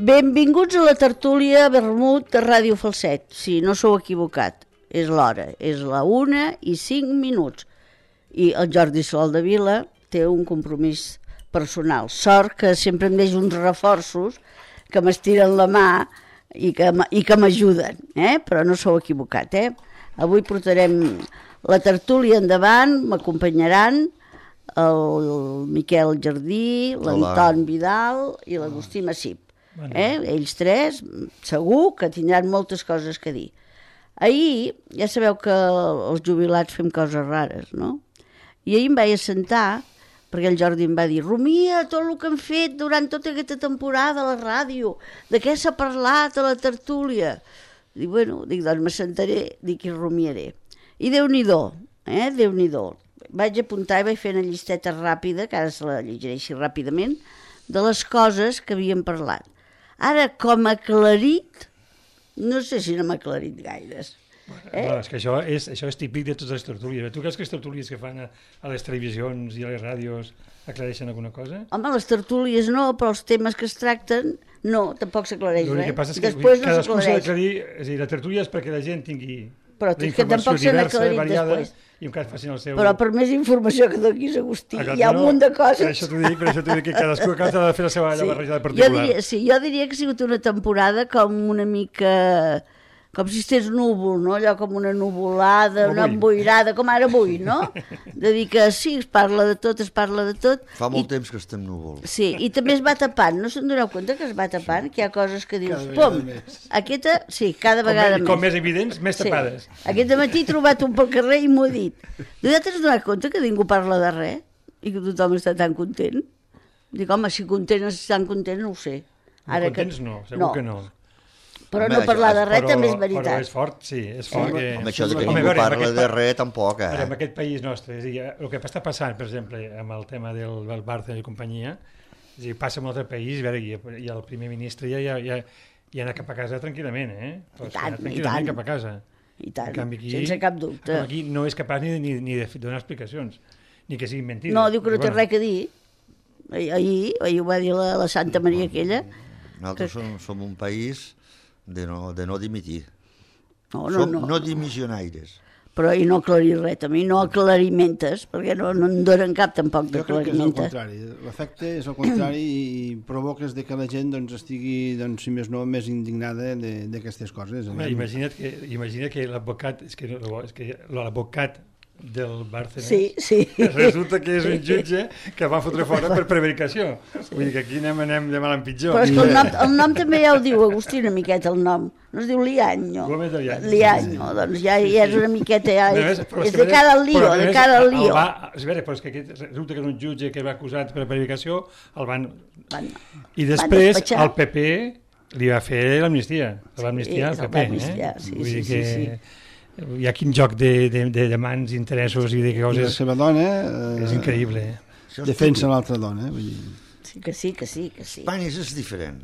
Benvinguts a la tertúlia Vermut de Ràdio Falset. Sí, no sou equivocat, és l'hora, és la 1:05. I el Jordi Soldevila té un compromís personal. Sort que sempre em deixo uns reforços que m'estiren la mà i que m'ajuden, però no sou equivocat. Avui portarem la tertúlia endavant, m'acompanyaran el Miquel Jardí, l'Anton Vidal i l'Agustí Massip. Ells tres segur que tindran moltes coses que dir. Ahir ja sabeu que els jubilats fem coses rares, no? I ahir em vaig assentar perquè el Jordi em va dir: rumia tot el que hem fet durant tota aquesta temporada a la ràdio, de què s'ha parlat a la tertúlia. Dic, doncs m'assentaré, dic, i rumiaré. I Déu-n'hi-do, Déu-n'hi-do. Vaig apuntar i vaig fer una llisteta ràpida, que ara se la llegiré així ràpidament, de les coses que havíem parlat. Ara, com a aclarit, no sé si no m'ha aclarit gaires. És que això és típic de totes les tertúlies. Tu creus que les tertúlies que fan a les televisions i a les ràdios aclareixen alguna cosa? Home, les tertúlies no, però els temes que es tracten, no, tampoc s'aclareix res. El que passa és que cadascú s'ha d'aclarir, és a dir, la tertúlia és perquè la gent tingui la informació diversa, variada, i en cas facin el seu... Però per més informació que donis, Agustí, hi ha un munt de coses. Per això t'ho dic que cadascú ha de fer la seva barrejada particular. Jo diria que ha sigut una temporada com una mica... com si estigués núvol, no? Allò com una nuvolada, una emboirada, com ara avui, no? De dir que sí, es parla de tot. Fa molt temps que estem núvols. Sí, i també es va tapant, no se'n doneu compte que es va tapant, que hi ha coses que dius, pom, aquesta, sí, cada vegada més. Com més evidents, més tapades. Aquest matí he trobat un pel carrer i m'ho he dit. Vosaltres us doneu compte que ningú parla de res i que tothom està tan content? Dic, home, si estan contents, no ho sé. Contents no, segur que no. Però no parlar de res també és veritat. Però és fort, sí, és fort. Home, això que ningú parla de res tampoc, Ara, en aquest país nostre, és a dir, el que està passant, per exemple, amb el tema del Barça i companyia, és a dir, passa en un altre país, i el primer ministre ja anat cap a casa tranquil·lament, tranquil·lament cap a casa. I tant, sense cap dubte. Aquí no és capaç ni de donar explicacions, ni que siguin mentides. No, diu que no té res a dir. Ahir ho va dir la Santa Maria aquella. Nosaltres som un país de no dimitir. No dimissionaires. Però i no aclarir res, també, no aclarimentes, perquè no en donen cap tampoc d'aclarimentes. Jo crec que és el contrari. L'efecte és el contrari i provoques que la gent estigui, si més no, més indignada d'aquestes coses. Imagina't que l'advocat, és que l'advocat del Barcelona resulta que és un jutge que va fotre fora per prevaricació. Vull dir que aquí anem de mal en pitjor. Però és que el nom també ja ho diu, Agustí, una miqueta el nom. No es diu Liaño. Liaño, doncs ja és una miqueta... És de cara al lío, de cara al lío. És vera, però és que resulta que és un jutge que va acusat per prevaricació, el van... I després el PP li va fer l'amnistia. L'amnistia al PP, Vull dir que... Hi ha quin joc de mans, interessos i de coses... La seva dona... És increïble. Defensa l'altra dona. Sí, que sí. Espanya és diferent.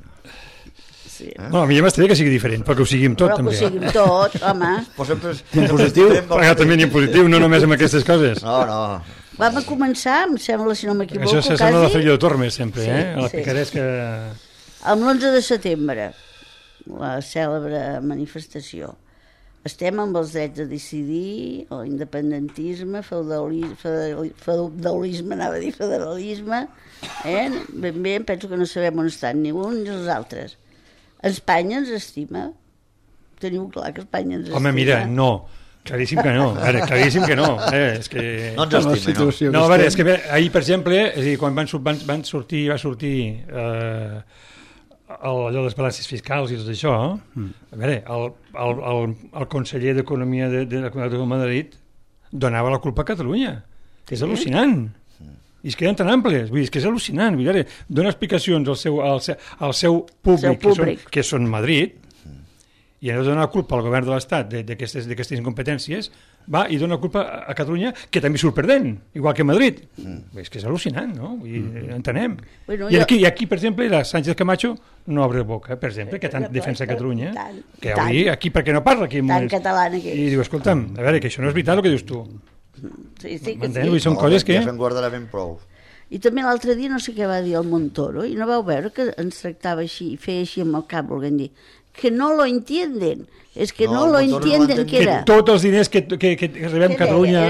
No, a mi ja m'estaria que sigui diferent, però que ho siguin tot, també. Però que ho siguin tot, home. En positiu. Però també ni en positiu, no només amb aquestes coses. No. Vam a començar, em sembla, si no m'equivoco, quasi... Això sembla la Fèria de Tormes, sempre, a la picaresca... Amb l'11 de setembre, la cèlebre manifestació. Estem amb els drets a decidir, l'independentisme, feudalisme, federalisme, ben bé, penso que no sabem on estan ni uns ni els altres. Espanya ens estima? Teniu clar que Espanya ens estima? Home, mira, no, claríssim que no, claríssim que no. És que... No ens estima, no. No, a veure, és que ahir, per exemple, és a dir, quan va sortir allò de les balances fiscals i tot això, a veure, el conseller d'Economia de la Comunitat de Madrid donava la culpa a Catalunya, que és al·lucinant. I es queden tan amples, vull dir, és que és al·lucinant. Vull dir, dona explicacions al seu públic, que són Madrid, i ha de donar la culpa al govern de l'Estat d'aquestes incompetències, va i dona culpa a Catalunya, que també surt perdent, igual que Madrid. És que és al·lucinant, no? Entenem. Bueno, I aquí, per exemple, la Sánchez Camacho no obre boca, per exemple, que tant defensa Catalunya, que avui aquí perquè no parla aquí. Tan catalana que és. I diu, escolta'm, a veure, que això no és veritat el que dius tu. Sí, que m'entens? Són coses que... Ja se'n guardarà ben prou. I també l'altre dia no sé què va dir el Montoro, i no vau veure que ens tractava així, i feia així amb el cap, volguem dir, que no lo entienden, és que no lo entienden, que era. Que tots els diners que rebem Catalunya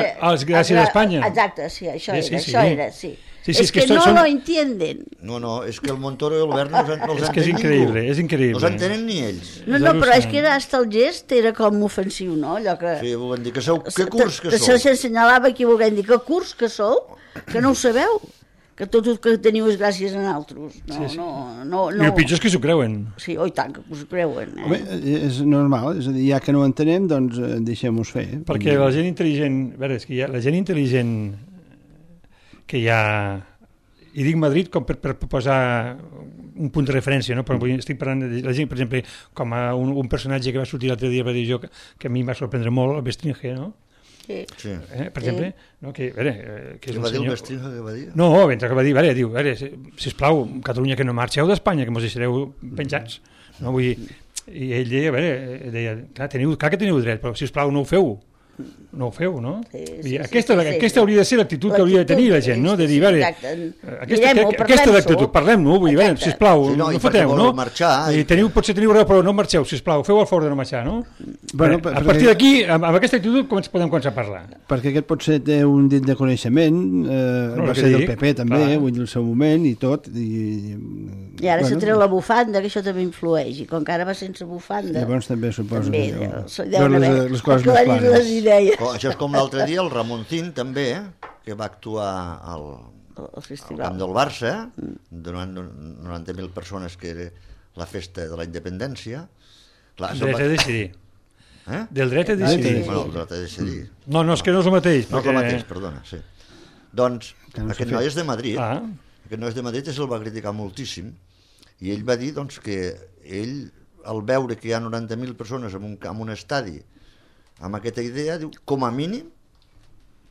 gràcies a Espanya. Exacte, sí, això era. Sí, és que no lo entienden. No, és que el Montoro i el Govern no els entenen. És que és increïble, és increïble. No els entenen ni ells. No, però és que era hasta el gest, era com ofensiu, no? Allò que... Sí, volem dir que sou... Que curs que sou? S'assenyalava aquí, volem dir, que curs que sou, que no ho sabeu, que tot el que teniu és gràcies a altres. No. I el pitjor és que s'ho creuen. Sí, oi tant, que s'ho creuen. Home, és normal, és a dir, ja que no ho entenem, doncs deixem-ho fer. Perquè la gent intel·ligent, a veure, és que la gent intel·ligent que hi ha, i dic Madrid com per posar un punt de referència, no? Però estic parlant de la gent, per exemple, com un personatge que va sortir l'altre dia a la televisió que a mi em va sorprendre molt, el Bestringe, no? Sí. Per exemple, no? Que, a veure, que és què un va dir senyor... el Bestringe, què va dir? No, mentre que va dir, diu, sisplau, Catalunya, que no marxeu d'Espanya, que mos deixareu penjats. No? Vull dir, i ell deia, clar que teniu dret, però sisplau, no ho feu. No ho feu, no? Aquesta hauria de ser l'actitud que hauria de tenir la gent, no? De dir, aquesta l'actitud, parlem-no, vull dir, sisplau, no foteu, no? I potser teniu raó, però no marxeu, sisplau, feu el favor de no marxar, no? A partir d'aquí, amb aquesta actitud, podem començar a parlar. Perquè aquest potser té un dit de coneixement, va ser del PP també, vull dir, el seu moment i tot. I ara se treu la bufanda, que això també influeix, i com que ara va sense bufanda... Llavors també suposo que les coses més clares. Això és com l'altre dia, el Ramoncín també, que va actuar al camp del Barça, donant 90.000 persones, que era la festa de la independència. Dret a decidir. Del dret a decidir. Bueno, el dret a decidir. No, és que no és el mateix. No és el mateix, perdona, sí. Doncs, aquest noi és de Madrid, el va criticar moltíssim, i ell va dir que ell, al veure que hi ha 90.000 persones en un estadi, amb aquesta idea, diu, com a mínim,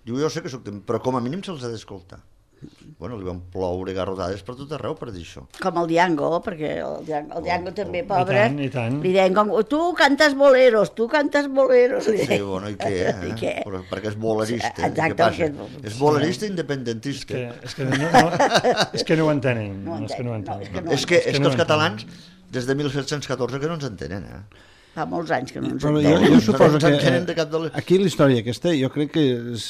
diu, jo sé que soc però com a mínim se'ls ha d'escoltar. Bueno, li van ploure garrotades per tot arreu per dir això. Com el Diango, perquè el Diango també, pobre, i tant. Li deien com, tu cantes boleros. Sí, bueno, i què? Perquè és bolerista. Exacte. És bolerista independentista. És que no ho entenen. És que els catalans, des de 1714, que no ens entenen, Fa molts anys que no ens entenen. Jo suposo que aquí la història aquesta jo crec que es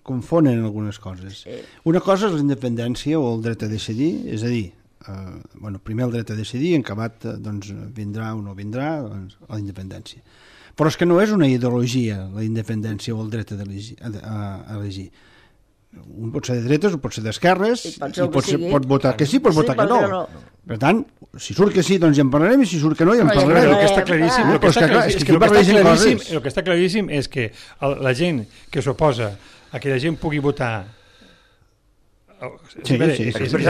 confonen algunes coses. Una cosa és la independència o el dret a decidir, és a dir, primer el dret a decidir, en acabat vindrà o no vindrà la independència. Però és que no és una ideologia la independència o el dret a elegir. Un pot ser de dretes o pot ser d'esquerres i pot votar que sí, pot votar que no. Per tant, si surt que sí, doncs ja en parlarem, i si surt que no, ja en parlarem. El que està claríssim, el que està claríssim és que la gent que s'oposa a que la gent pugui votar és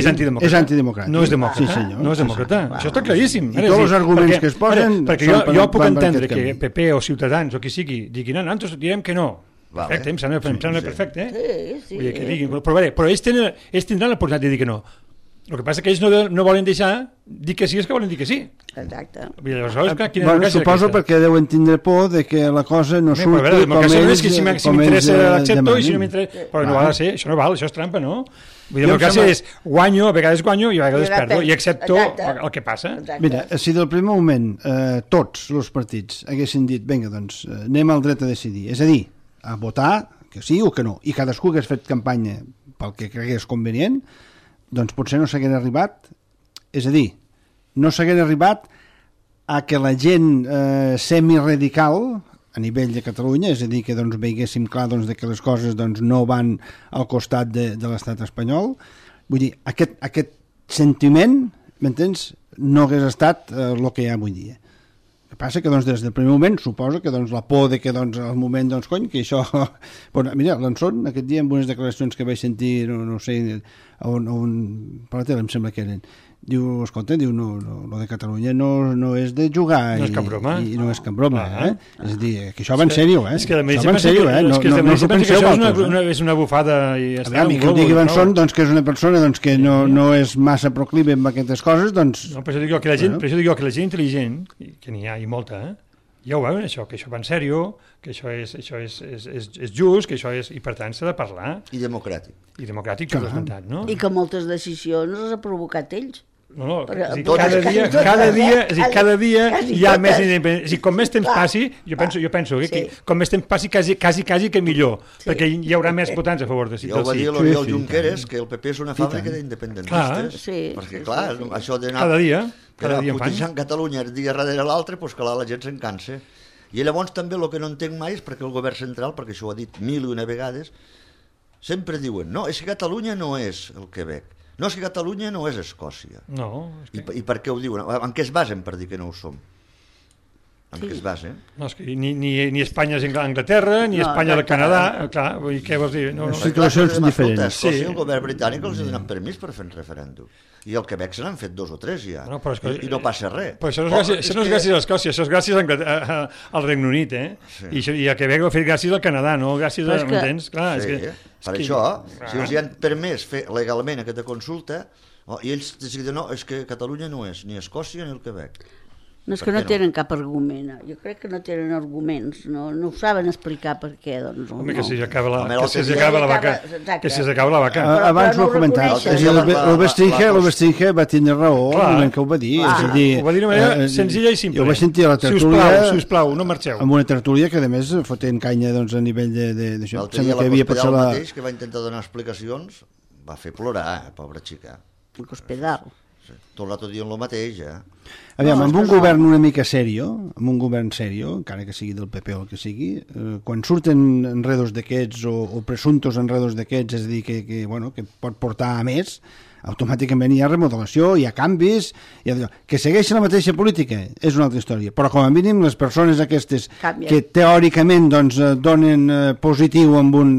antidemocràtic. No és demòcrata. Això està claríssim. I tots els arguments que es posen... Perquè jo puc entendre que PP o Ciutadans o qui sigui diguin, nosaltres direm que no. Perfecte, em sembla perfecte. Sí. Però ells tindran l'oportunitat de dir que no. El que passa que ells no volen deixar dir que sí, és que volen dir que sí. Exacte. Suposo perquè deuen tindre por de que la cosa no surti com ells... Si m'interessa l'accepto i si no m'interessa... Però no val a ser, això no val, això és trampa, no? Democràcia és guanyo, a vegades guanyo i a vegades perdo, i accepto el que passa. Mira, si del primer moment tots els partits haguessin dit, vinga, doncs anem al dret a decidir, és a dir, a votar que sí o que no, i cadascú hagués fet campanya pel que cregués convenient, doncs potser no s'hagués arribat, és a dir, no s'hagués arribat a que la gent semiradical a nivell de Catalunya, és a dir, que veiéssim clar de que les coses no van al costat de l'estat espanyol. Vull dir, aquest sentiment, m'entens, no hagués estat el que hi ha avui dia. El que passa que des del primer moment suposo que la por de que al moment que això... Mira, l'Anson aquest dia en unes declaracions que vaig sentir, no sé, per la tele em sembla que eren, Diu, escolta, diu, no, lo de Catalunya no és de jugar. No és cap broma. I no és cap broma, És a dir, que això va en sèrio, És que això va en sèrio, No s'ho penseu vosaltres, és una bufada i ja està. I que ho digui Benson, doncs, que és una persona doncs, que no és massa proclive amb aquestes coses, doncs... No, per això dic jo que la gent intel·ligent, que n'hi ha i molta, ja ho veuen, això, que això va en sèrio, que això és just, que això és... I per tant s'ha de parlar. I democràtic. I democràtic, que ho has esmentat, no? I que moltes decisions les ha provocat ells. No, cada dia hi ha més independència. Com més temps passi, jo penso que com més temps passi quasi que millor, perquè hi haurà més votants a favor de sí. Ja ho va dir l'Oriol Junqueras, que el PP és una fàbrica d'independentistes. Perquè, clar, això d'anar putejant Catalunya dia darrere l'altre, doncs clar, la gent se'n cansa. I llavors també el que no entenc mai és perquè el govern central, perquè això ho ha dit 1001 vegades, sempre diuen, no, és que Catalunya no és el Quebec. No, és que Catalunya no és Escòcia. No. I per què ho diuen? En què es basen per dir que no ho som? En què es basen? No, és que ni Espanya és Anglaterra, ni Espanya és el Canadà. Clar, què vols dir? Situacions diferents. Escòcia, el govern britànic els ha donat permís per fer un referèndum. I el Quebec se n'han fet 2 o 3 ja. I no passa res. Però això no és gràcies a Escòcia, això és gràcies al Regne Unit, I a Quebec ho ha fet gràcies al Canadà, no gràcies a... M'entens? Clar, és que... Per això, si els hi han permès fer legalment aquesta consulta, i ells decideixen, no, és que Catalunya no és ni Escòcia ni el Quebec. No, és que no tenen cap argument. Jo crec que no tenen arguments. No ho saben explicar per què. Doncs, home, que si s'acaba la vaca. Que si s'acaba la vaca. Abans ho he comentat. El Bestringe va tenir raó el moment que ho va dir. Ho va dir d'una manera senzilla i simple. Jo vaig sentir a la tertúlia... Sisplau, no marxeu. Amb una tertúlia que, a més, fotent canya a nivell d'això. L'altre dia la Cospedal mateix, que va intentar donar explicacions, va fer plorar, pobra xica. La Cospedal. Tot l'altre dia en el mateix, Aviam, amb un govern una mica serio, encara que sigui del PP o el que sigui, quan surten enredos d'aquests o presumptos enredos d'aquests, és a dir, que pot portar a més, automàticament hi ha remodelació, hi ha canvis, que segueixen la mateixa política és una altra història, però com a mínim les persones aquestes que teòricament doncs, donen positiu amb un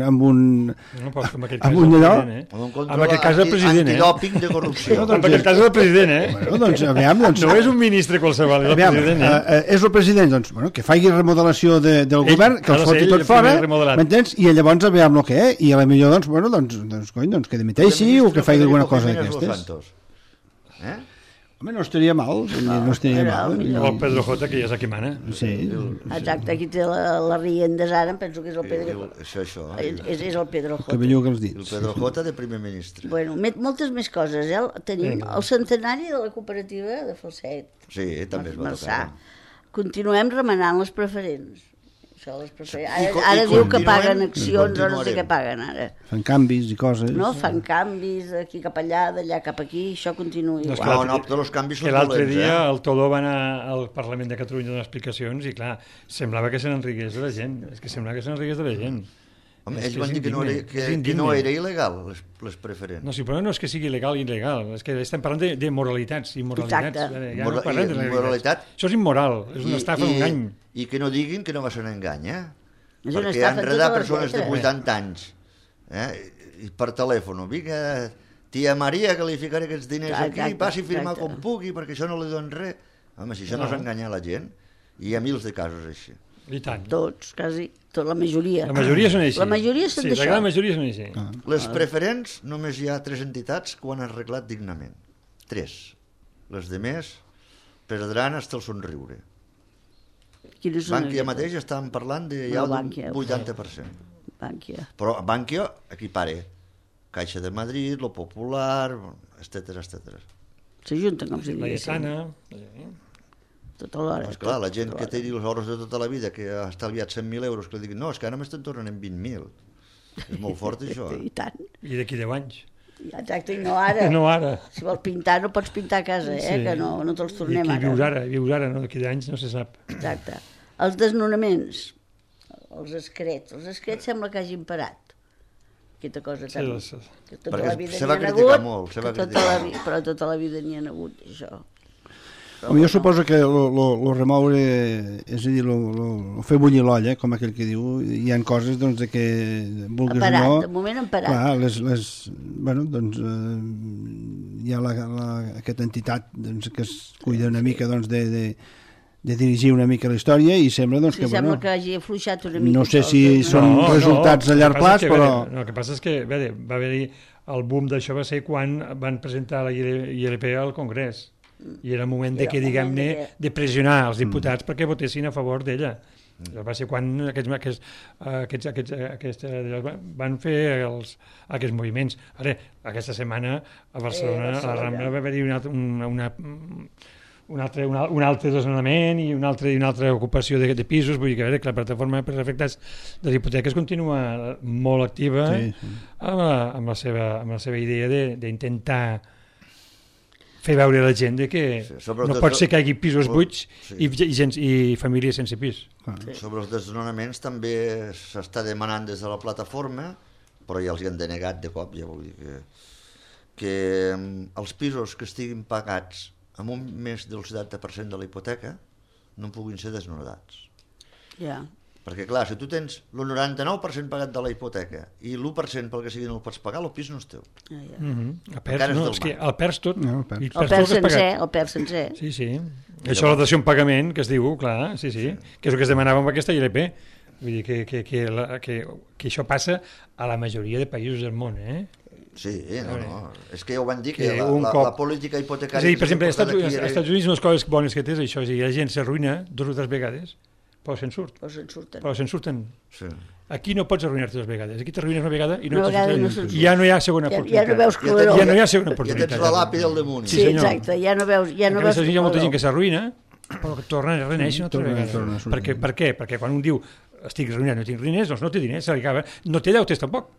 allò, en aquest cas el president, antidòping de corrupció. En aquest cas el president, Bueno, doncs, aviam, no és un ministre qualsevol, és el president, és el president, doncs, que faci remodelació del govern, que els foti tot fora, m'entens? I llavors aviam el que i a la millor, doncs, que dimiteixi o que faci alguna cosa d'aquestes. Home, no estaria mal. El Pedro J, que ja és el que mana. Sí. Exacte, aquí té la riendes ara, em penso que és el Pedro J. Això. És el Pedro J. Que belluga els dits. El Pedro J de primer ministre. Bueno, moltes més coses, Tenim el centenari de la cooperativa de Falset. Sí, també es va tocar. Continuem remenant les preferents. Ara diu que paguen accions o no sé què paguen ara. Fan canvis i coses. No, fan canvis d'aquí cap allà, d'allà cap aquí, això continua igual. No, tots els canvis són dolents. L'altre dia el Toló va anar al Parlament de Catalunya a donar explicacions i clar, semblava que se n'enrigués de la gent. És que semblava que se n'enrigués de la gent. Home, ells van dir que no era il·legal, les preferents. No, sí, però no és que sigui legal i il·legal, és que estem parlant de moralitats, immoralitats. Exacte. No parlem de moralitat. Això és immoral, és una estafa, un engany. I que no diguin que no va ser un engany, perquè han enredat persones de 80 anys, i per telèfon, vinga, tia Maria, que li ficaré aquests diners aquí, passi a firmar com pugui, perquè això no li donen res. Home, si això no és enganyar la gent, hi ha mils de casos així. I tant. Tots, quasi, la majoria. La majoria són així. La majoria són d'això. Sí, la majoria són així. Les preferents, només hi ha 3 entitats que ho han arreglat dignament. 3. Les demés perdran hasta el somriure. Bànquia mateix estàvem parlant de ja d'un 80%. Bànquia. Però Bànquia equipara Caixa de Madrid, Lo Popular, etcètera. S'ajunten com si la Lletana. Tota l'hora. Doncs clar, la gent que té els ahorros de tota la vida, que ha estalviat 100.000 euros, que li diguin, no, és que ara m'estan tornant en 20.000. És molt fort, això. I tant. I d'aquí 10 anys. Exacte, i no ara. No ara. Si vols pintar, no pots pintar a casa, que no te'ls tornem ara. I vius ara, no? D'aquí 10 anys no se sap. Exacte. Els desnonaments, els excrets sembla que hagin parat. Aquesta cosa tan... Que tota la vida se va criticar molt, però tota la vida n'hi ha hagut, això. Jo suposo que lo remoure, és a dir, lo fer bullir l'olla, com aquell que diu, hi ha coses doncs, que vulguis parat, o no... De moment han parat. Clar, bueno, doncs, hi ha aquesta entitat doncs, que es cuida una mica doncs, de dirigir una mica la història i sembla doncs, que... Sembla que hagi afluixat una mica. No sé si són resultats a llarg plaç, però... El que passa és que va haver-hi... El boom d'això va ser quan van presentar la ILP al Congrés. I era el moment de que, diguem-ne, de pressionar els diputats perquè votessin a favor d'ella. Va ser quan aquests van fer aquests moviments. Ara, aquesta setmana a Barcelona, a la Rambla, va haver-hi un altre desnonament i una altra ocupació de pisos. Vull dir que la plataforma per afectats de les hipoteques continua molt activa amb la seva idea d'intentar fer veure a la gent que no pot ser que hi hagi pisos buits i famílies sense pis. Sobre els desnonaments també s'està demanant des de la plataforma, però ja els hi han denegat de cop. Ja vull dir que els pisos que estiguin pagats amb un més del 70% de la hipoteca no puguin ser desnonats. Ja. Perquè, clar, si tu tens el 99% pagat de la hipoteca i l'1% pel que sigui no el pots pagar, el pis no és teu. El perds tot. El perds sencer. Sí. Això la dació en pagament, que es diu, clar, sí. Que és el que es demanava amb aquesta ILP. Vull dir que això passa a la majoria de països del món, Sí, no. És que ja ho van dir, que la política hipotecària... És a dir, per exemple, als Estats Units unes coses bones que té és això, és a dir, la gent s'arruïna 2 o 3 vegades, però se'n surten. Sí. Aquí no pots arruïnar-te 2 vegades, aquí t'arruïnes una vegada i ja no hi ha segona oportunitat. Ja no veus claror. Ja no hi ha segona oportunitat. Ja tens la làpida al damunt. Sí, exacte, ja no veus claror. Hi ha molta gent que s'arruïna, però que torna a reneixer una altra vegada. Per què? Perquè quan un diu estic arruïnat, no tinc diners, doncs no té diners, no té deutes tampoc.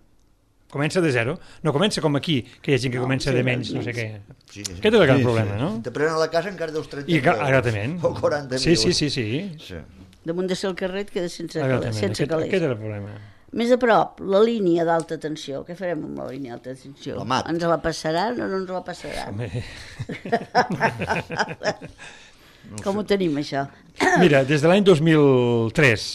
Comença de zero, no comença com aquí, que hi ha gent que comença de menys, no sé què. Aquest és el gran problema, no? Te prenen a la casa encara deus 30.000 euros. O 40.000. Sí. Damunt de ser el carrer et queda sense calés. Aquest és el problema. Més a prop, la línia d'alta tensió. Què farem amb la línia d'alta tensió? La MAT. Ens la passaran o no ens la passaran? Com ho tenim, això? Mira, des de l'any 2003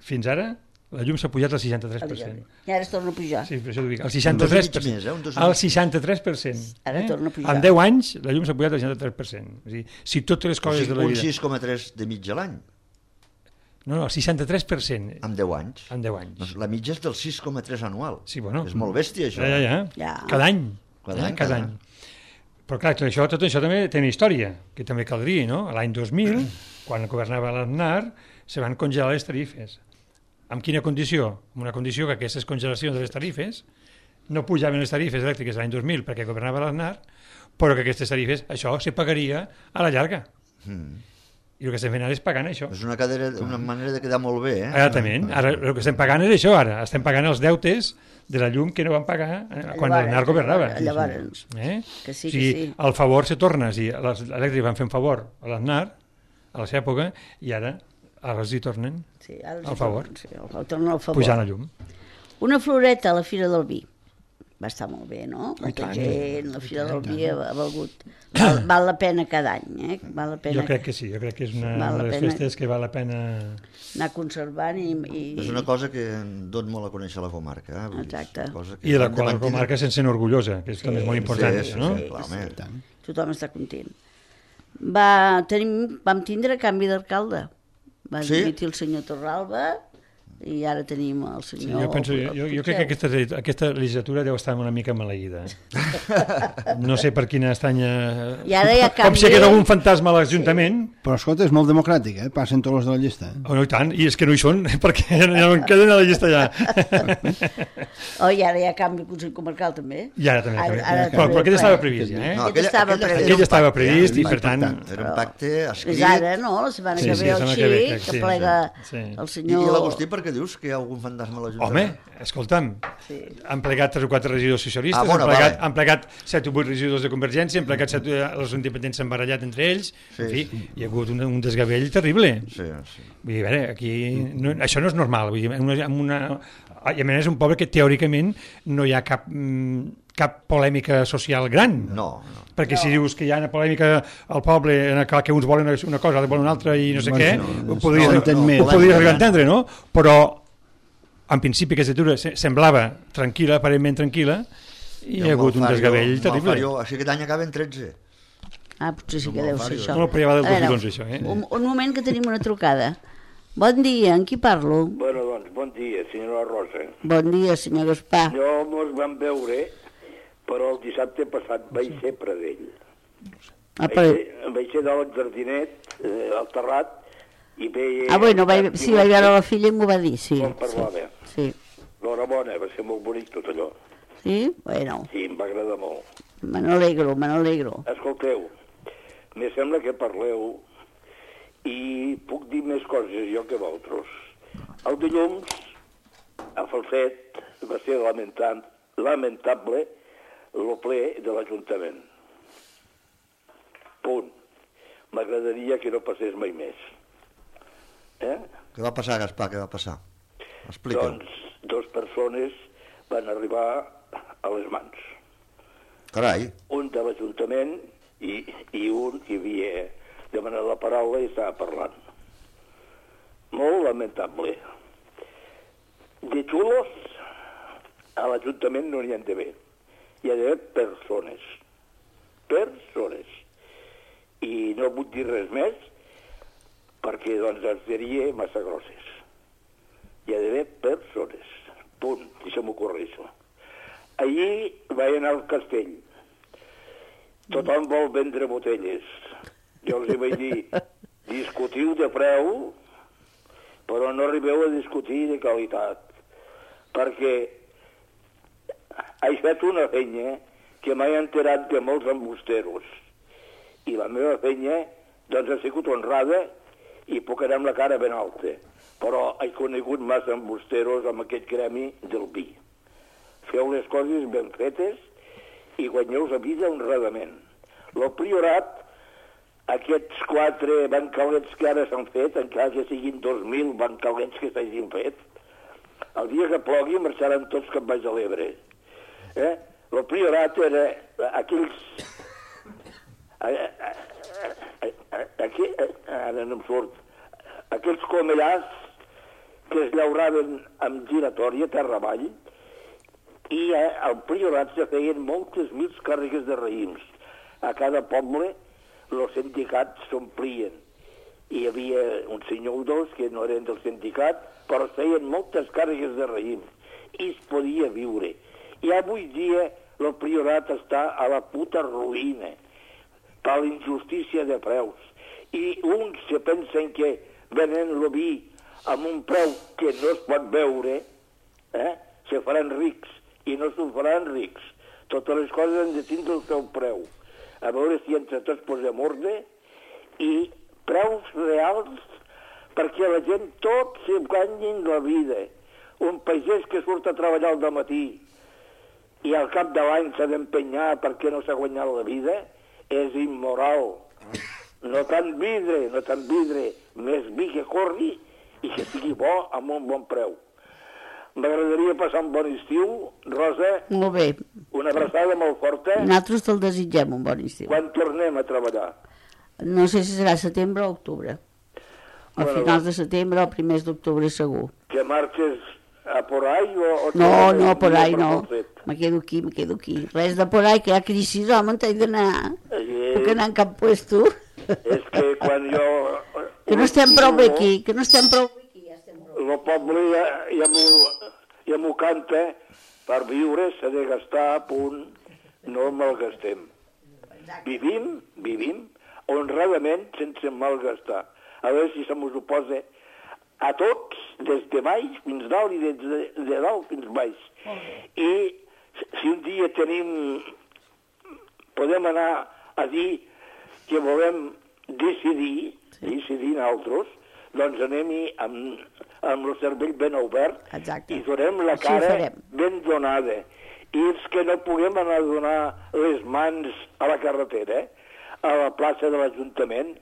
fins ara, la llum s'ha pujat al 63%. I ara es torna a pujar. Sí, per això t'ho dic. Al 63%. Al 63%. Ara torna a pujar. En 10 anys, la llum s'ha pujat al 63%. És a dir, si totes les coses de la vida... Un 6,3 de mitja l'any. No, el 63%. En 10 anys. En 10 anys. Doncs la mitja és del 6,3 anual. Sí, bueno. És molt bèstia, això. Ja. Cada any. Cada any. Però clar, tot això també té una història, que també caldria, no? L'any 2000, quan governava l'Aznar, se van congelar les tarifes. Amb quina condició? Amb una condició que aquestes congelacions de les tarifes no pujaven les tarifes elèctriques l'any 2000 perquè governava l'Aznar, però que aquestes tarifes, això se pagaria a la llarga. I el que estem fent ara és pagant això. És una manera de quedar molt bé, Exactament. Ara el que estem pagant és això, ara. Estem pagant els deutes de la llum que no van pagar quan l'Aznar governava. Llavors. Que sí. El favor se torna. Els elèctrics van fer un favor a l'Aznar a la seva època i ara els hi tornen al favor. Pujant la llum. Una floreta a la Fira del Vi. Va estar molt bé, no? Molta gent, la Fira del Vi ha valgut. Val la pena cada any, Val la pena. Jo crec que sí, jo crec que és una de les festes que val la pena anar conservant i... És una cosa que dona molt a conèixer la comarca. Exacte. I de la qual la comarca se'n sent orgullosa, que és també molt important. Sí. Tothom està content. Vam tindre canvi d'alcalde. Va dimitir el senyor Torralba i ara tenim el senyor... Jo crec que aquesta legislatura deu estar una mica maleïda. No sé per quina estranya... Com si hi hagués algun fantasma a l'Ajuntament. Però escolta, és molt democràtic, Passen tots els de la llista. No, i tant, i és que no hi són, perquè ja no en queden a la llista ja. I ara hi ha canvi al Consell Comarcal també. I ara també. Però aquest estava previst ja, Aquest estava previst i per tant... Era un pacte escrit. És ara, no? La setmana que ve el xic, que plega el senyor... I l'Agustí perquè dius que hi ha algun fantasma a l'Ajuntament? Home, escolta'm, han plegat 3 o 4 regidors socialistes, han plegat 7 o 8 regidors de Convergència, han plegat 7, els independents s'han barallat entre ells, en fi, hi ha hagut un desgavell terrible. Vull dir, a veure, aquí això no és normal, vull dir, i a més és un poble que teòricament no hi ha cap polèmica social gran. No. Perquè si dius que hi ha una polèmica al poble que uns volen una cosa, altres volen una altra i no sé què, ho podries arribar a entendre, no? Però en principi aquesta legislatura semblava tranquil·la, aparentment tranquil·la, I hi ha hagut un desgavell terrible. Així que aquest any acaben 13. Potser sí que deu ser això. No, però ja va del 2011, això, eh? Un moment, que tenim una trucada. Bon dia, amb qui parlo? Bueno, doncs, bon dia, senyora Rosa. Bon dia, senyor Gaspar. Jo mos vam veure, però el dissabte passat vaig ser Pradell. Vaig ser dalt al jardinet, al terrat, i veia... vaig veure la filla i m'ho va dir, sí. Com parlava. Sí. L'horabona, va ser molt bonic tot allò. Sí? Bueno. Sí, em va agradar molt. Me n'alegro. Escolteu, me sembla que parleu i puc dir més coses jo que vosaltres. El dilluns, a Falset, va ser lamentable el ple de l'Ajuntament. Punt. M'agradaria que no passés mai més. Què va passar, Gaspar, què va passar? Explica'm. Doncs 2 persones van arribar a les mans. Carai. Un de l'Ajuntament i un que havia demanat la paraula i estava parlant. Molt lamentable. De xulos a l'Ajuntament no n'hi ha d'haver. Hi ha d'haver persones. Persones. I no vull dir res més perquè doncs els diria massa grosses. Hi ha d'haver persones. Punt. I se m'ocorreixo. Allí vaig anar al castell. Tothom vol vendre botelles. Jo els vaig dir, discutiu de preu, però no arribeu a discutir de qualitat. Perquè he fet una feina que m'he enterat de molts embusteros. I la meva feina, doncs, ha sigut honrada i puc anar amb la cara ben alta. Però he conegut massa embusteros amb aquest gremi del vi. Feu les coses ben fetes i guanyeu la vida honradament. El Priorat, aquests 4 bancalets que ara s'han fet, encara que siguin 2.000 bancalets que s'hagin fet, el dia que plogui marxaran tots cap baix a l'Ebre. El Priorat era aquells... Ara no em surt. Aquells comellars que es llauraven amb giratòria terra avall, i al Priorat se feien moltes mils càrregues de raïms. A cada poble els sindicats s'omplien. Hi havia un senyor o 2 que no eren del sindicat, però feien moltes càrregues de raïms. I es podia viure. I avui dia el Priorat està a la puta ruïna per la injustícia de preus. I uns se pensen que venen el vi amb un preu que no es pot veure, se faran rics. I no s'ho faran rics. Totes les coses han de tindre el seu preu. A veure si entre tots posem ordre i preus reals perquè la gent tots se guanyin la vida. Un pagès que surt a treballar al dematí i al cap de l'any s'ha d'empenyar perquè no s'ha guanyat la vida és immoral. No tant vidre, més vi que corri i que sigui bo amb un bon preu. M'agradaria passar un bon estiu, Rosa. Molt bé. Una abraçada molt forta. Nosaltres te'l desitgem un bon estiu. Quan tornem a treballar? No sé si serà setembre o octubre. A finals de setembre o primers d'octubre segur. Que marxes a por ahí o... No, por ahí no. Me quedo aquí. Res de por ahí, que hi ha crisi, home, t'he d'anar. Puc anar en cap puesto. És que quan jo... Que no estem prou bé aquí, El poble ja m'ho canta, per viure s'ha de gastar a punt, no malgastem. Vivim honradament sense malgastar. A veure si se mos ho posa a tots, des de baix fins dalt i des de dalt fins baix. I si un dia podem anar a dir que volem decidir nosaltres, doncs anem-hi amb el cervell ben obert. Exacte. I donem la cara ben donada. I els que no puguem anar a donar les mans a la carretera, a la plaça de l'Ajuntament,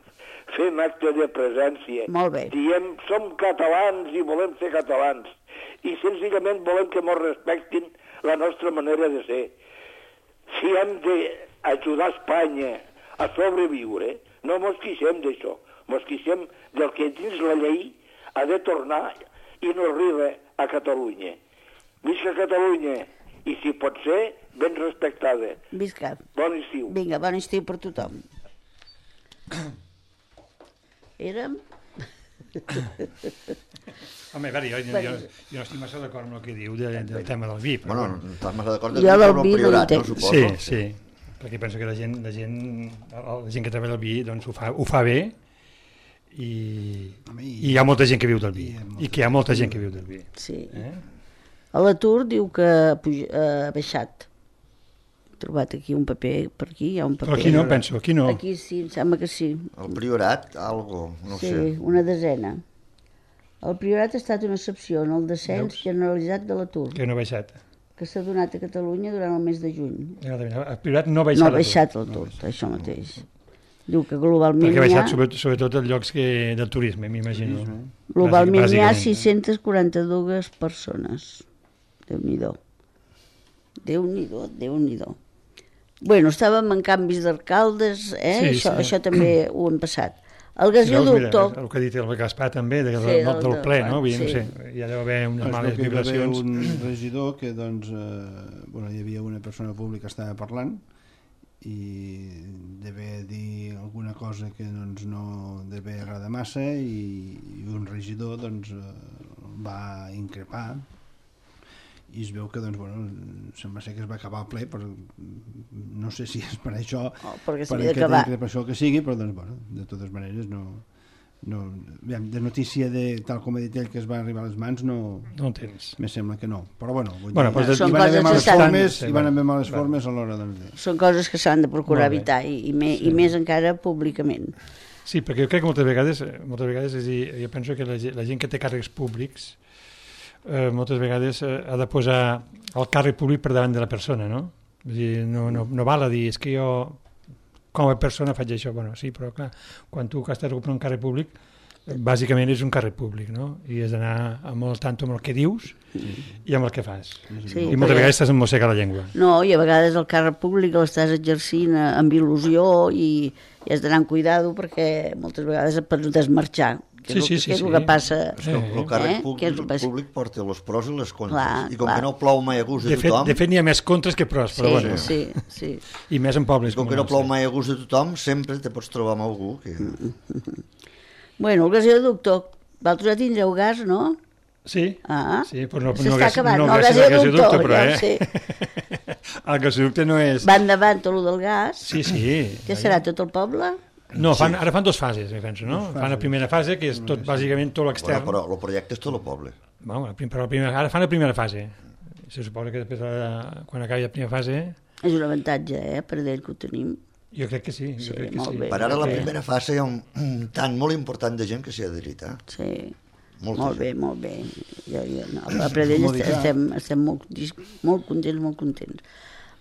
fem acte de presència. Molt bé. Diem, som catalans i volem ser catalans. I senzillament volem que ens respectin la nostra manera de ser. Si hem d'ajudar Espanya a sobreviure, no mos queixem d'això. Mos queixem del que dins la llei ha de tornar i no arriba a Catalunya. Visca Catalunya i si pot ser, ben respectada. Visca. Bon estiu. Vinga, bon estiu per tothom. Érem... Home, a veure, jo no estic massa d'acord amb el que diu del tema del vi. Bueno, no estàs massa d'acord Jo del vi no priorat, no, entenc. suposo? Sí, perquè penso que la gent que treballa el vi doncs ho fa bé i hi ha molta gent que viu del vi i que hi ha molta gent que viu del vi. Sí. A l'atur diu que ha baixat. He trobat aquí un paper, per aquí hi ha un paper. Però aquí no, penso, aquí no. Aquí sí, em sembla que sí. El Priorat, algo, no Sí, sé. una desena. El Priorat ha estat una excepció en el descens generalitzat de l'atur, Que no ha baixat. que s'ha donat a Catalunya durant el mes de juny. El Priorat no ha baixat. No ha baixat l'atur, això mateix. Diu que globalment Perquè ha hi ha... baixat sobretot en llocs del turisme, m'imagino. Globalment hi ha Bàsicament. 642 persones. Déu-n'hi-do. Déu-n'hi-do. Bueno, estàvem en canvis d'alcaldes, això també ho hem passat. El gasoducto... El que ha dit el Gaspar també, del ple, no? No sé, hi ha d'haver unes males vibracions. Hi va haver un regidor que, doncs, hi havia una persona pública que estava parlant i devia dir alguna cosa que doncs, no devia agradar massa i un regidor doncs, va increpar i es veu que sembla ser que es va acabar el ple, però no sé si és per això, per aquesta increpació que sigui, però de totes maneres de notícia tal com ha dit ell que es va arribar a les mans no en tens. Me sembla que no, però hi van haver males formes a l'hora de... Són coses que s'han de procurar evitar i més encara públicament. Sí, perquè jo crec que moltes vegades és dir, jo penso que la gent que té càrrecs públics moltes vegades ha de posar el càrrec públic per davant de la persona, no? És dir, no val a dir, és que jo com a persona faig això, bueno, sí, però clar, quan tu estàs ocupant un càrrec públic, bàsicament és un càrrec públic, no? I has d'anar amb el tanto amb el que dius i amb el que fas. Sí, I moltes vegades estàs emmossega la llengua. No, i a vegades el càrrec públic l'estàs exercint amb il·lusió i has d'anar amb cuidado perquè moltes vegades et pots desmarxar. Que és el que passa. El càrrec públic porta els pros i les contres. I com que no plou mai a gust de tothom... De fet, n'hi ha més contres que pros, però bueno. Sí. I més en pobles. Com que no plou mai a gust de tothom, sempre te pots trobar amb algú que... Bueno, el gasoducto, vosaltres ja tindreu gas, no? Sí, però no s'està acabant, no gràcies al gasoducte, però, el gasoducte no és... Va endavant tot el del gas? Sí. Què serà, tot el poble? No, ara fan dues fases, penso, no? Fan la primera fase, que és tot, bàsicament tot l'extern. Però el projecte és tot el poble. Ara fan la primera fase. Se suposa que després, quan acabi la primera fase... És un avantatge, per d'ell que ho tenim. Jo crec que sí. Per ara la primera fase hi ha un tant molt important de gent que s'hi ha adherit, Sí, molt bé. A Pradell estem molt contents.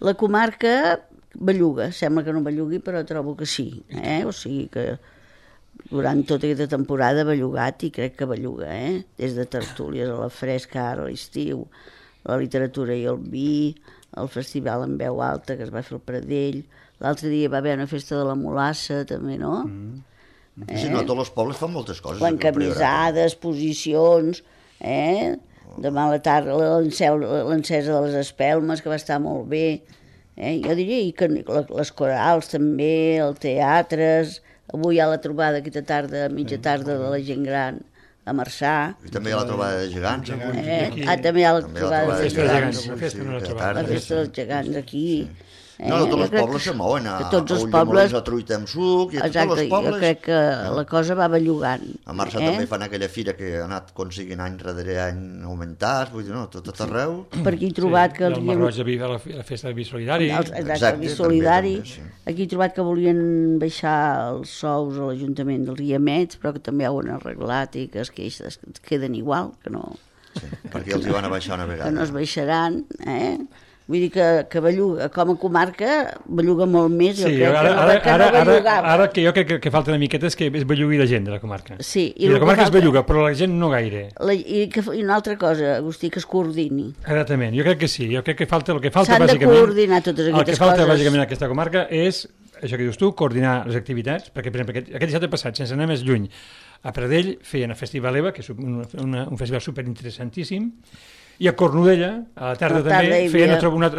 La comarca... belluga, sembla que no bellugui, però trobo que sí, o sigui que durant tota aquesta temporada ha bellugat i crec que belluga, des de tertúlies a la fresca, ara a l'estiu, la literatura i el vi, el festival en veu alta que es va fer al Pradell, l'altre dia va haver una festa de la Molassa també, no? Sí, no, tots els pobles fan moltes coses. L'encamisada, exposicions, demà a la tarda l'encesa de les espelmes, que va estar molt bé. Jo diria que les corals també, el teatres, avui hi ha la trobada aquesta tarda, mitja tarda de la gent gran a Marçà. I també hi ha la trobada de gegants. També hi ha la trobada de gegants. La festa dels gegants aquí. No, tots els pobles se mouen a Ulldemolins, a Truita amb suc, i a tots els pobles... Jo crec que la cosa va bellugant. A Marçà també fan aquella fira que ha anat aconseguint any darrere any augmentar, vull dir, no, tot arreu. Per aquí he trobat que... El Marroig de Viva, la festa del Vi Solidari. Exacte, el Vi Solidari. Aquí he trobat que volien baixar els sous a l'Ajuntament dels Guiamets, però que també ho han arreglat i que es queden igual, que no... Sí, perquè els hi van a baixar una vegada. Que no es baixaran, Vull dir que belluga, com a comarca, belluga molt més. Sí, ara que jo crec que falta una miqueta és que es bellugui la gent de la comarca. Sí. I la comarca es belluga, però la gent no gaire. I una altra cosa, Agustí, que es coordini. Exactament, jo crec que sí. Jo crec que el que falta s'han bàsicament... S'han de coordinar totes aquestes coses. El que falta bàsicament a aquesta comarca és, això que dius tu, coordinar les activitats, perquè, per exemple, aquest dissabte passat, sense anar més lluny, a Pradell feien el Festival EVA, que és un festival superinteressantíssim, I a Cornudella, a la tarda també, feien unes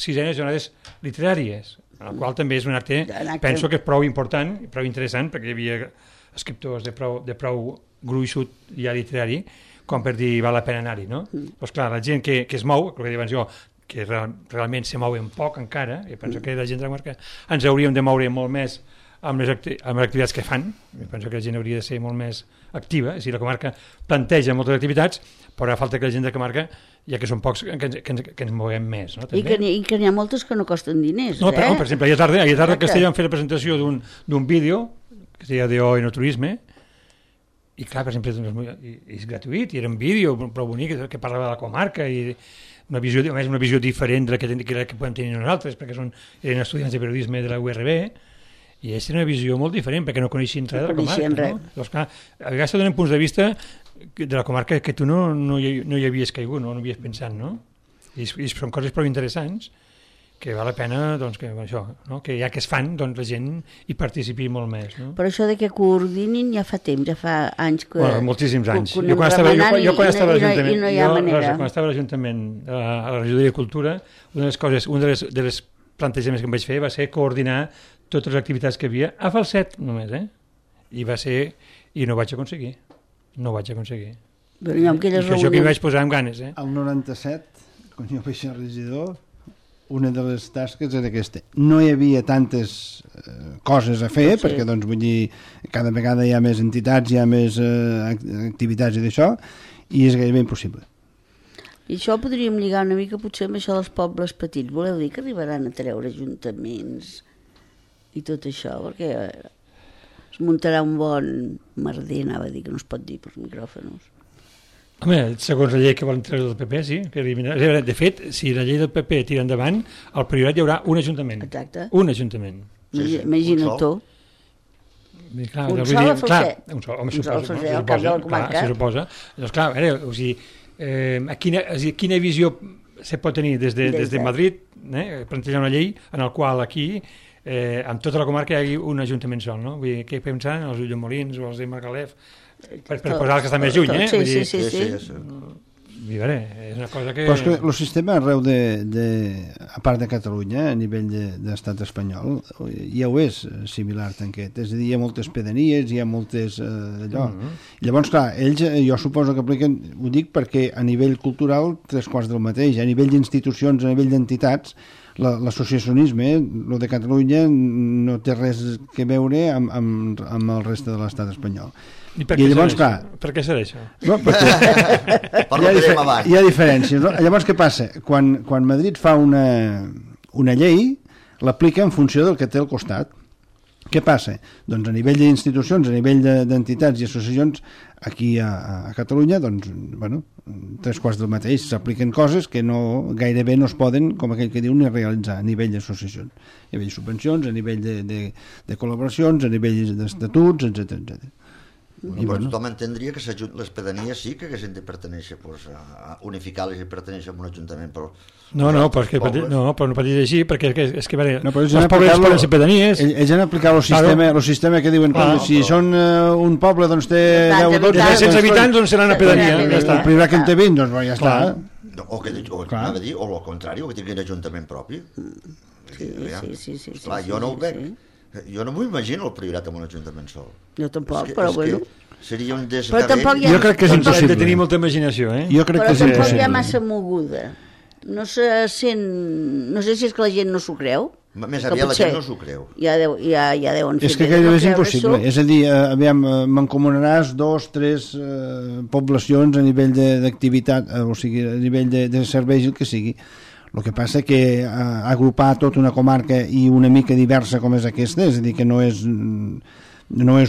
6enes jornades literàries, el qual també és un acte, penso que és prou important, prou interessant, perquè hi havia escriptors de prou gruixut ja literari, com per dir val la pena anar-hi, no? Doncs clar, la gent que es mou, el que diuen jo, que realment se mouen poc encara, i penso que la gent de la comarca ens hauríem de moure molt més amb les activitats que fan, i penso que la gent hauria de ser molt més activa, és a dir, la comarca planteja moltes activitats, però falta que la gent de la comarca, ja que són pocs, que ens moguem més. No? I que n'hi ha moltes que no costen diners. No, però, per exemple, ahir a tarda a Castellà vam fer la presentació d'un vídeo que es deia d'Enoturisme, i clar, per exemple, és gratuït, i era un vídeo prou bonic que parlava de la comarca, i una visió diferent de la que podem tenir nosaltres, perquè eren estudiants de periodisme de la URB, i és una visió molt diferent, perquè no coneixien res de la comarca. No? Doncs clar, a vegades te donen punts de vista de la comarca que tu no hi havies caigut, no havies pensat, no? I són coses prou interessants que val la pena, doncs, que això, no? Que ja que es fan, doncs la gent hi participi molt més, no? Però això de que coordinin ja fa temps, ja fa anys que... Bueno, moltíssims anys. Jo quan estava a l'Ajuntament, a la regidoria de Cultura, una de les plantejaments que em vaig fer va ser coordinar totes les activitats que havia a Falset només, I no ho vaig aconseguir. No ho vaig aconseguir. Però jo que vaig posar amb ganes, El 97, quan jo vaig ser regidor, una de les tasques era aquesta. No hi havia tantes coses a fer, perquè, doncs, vull dir, cada vegada hi ha més entitats, hi ha més activitats i d'això, i és gairebé impossible. I això podríem lligar una mica potser amb això dels pobles petits. Voleu dir que arribaran a treure ajuntaments i tot això, perquè es muntarà un bon merder, anava a dir, que no es pot dir per micròfons. Home, segons la llei que volen treure del PP, sí. De fet, si la llei del PP tira endavant, al Priorat hi haurà un ajuntament. Exacte. Un ajuntament. Imagina't tu. Clar, un sol a Falset. Un sol, home, al cap de la comarca. Se suposa. Doncs clar, a veure, o sigui, quina visió se pot tenir des de Madrid, plantejar una llei en la qual aquí, amb tota la comarca, hi hagi un ajuntament sol, no? Vull dir, què pensen els Ulldemolins o els de Margalef, per posar els que estan més lluny, Sí. És una cosa que... Però és que el sistema arreu a part de Catalunya, a nivell d'estat espanyol, ja ho és similar, tanquet. És a dir, hi ha moltes pedanies, hi ha moltes... Llavors, clar, ells, jo suposo que apliquen, ho dic perquè a nivell cultural, 3/4 del mateix, a nivell d'institucions, a nivell d'entitats, l'associacionisme, el de Catalunya, no té res que veure amb el reste de l'estat espanyol. I llavors, clar... Per què serà això? No, hi ha diferències. No? Llavors, què passa? Quan Madrid fa una llei, l'aplica en funció del que té al costat. Què passa? Doncs a nivell d'institucions, a nivell d'entitats i associacions, aquí a Catalunya, doncs, bueno, 3/4 del mateix, s'apliquen coses que gairebé no es poden, com aquell que diu, ni realitzar a nivell d'associacions, a nivell de subvencions, a nivell de col·laboracions, a nivell d'estatuts, etc. Bueno, tothom entendria que les pedanies sí que haguessin de pertenèixer, a unificar-les i pertenèixer a un ajuntament, però... No, però no pot dir així, perquè és que els pobles poden ser pedanies... Ells han aplicat el sistema que diuen, si són un poble, doncs té 10 o 12... De 100 habitants, doncs serà una pedania. El primer que en té 20, doncs ja està. O el contrari, o que tingui un ajuntament propi. Sí. Clar, jo no ho veig. Jo no m'ho imagino el Priorat amb un ajuntament sol. Jo tampoc, però bueno. Seria un desgavell. Jo crec que és impossible. Hem de tenir molta imaginació, Jo crec que és impossible. Però tampoc hi ha massa moguda. No sé si és que la gent no s'ho creu. Més aviat la gent no s'ho creu. Ja deuen fer. És que gairebé és impossible. És a dir, mancomunaràs 2 o 3 poblacions a nivell d'activitat, o sigui, a nivell de serveis, el que sigui. El que passa que agrupar tota una comarca i una mica diversa com és aquesta, és a dir, que no és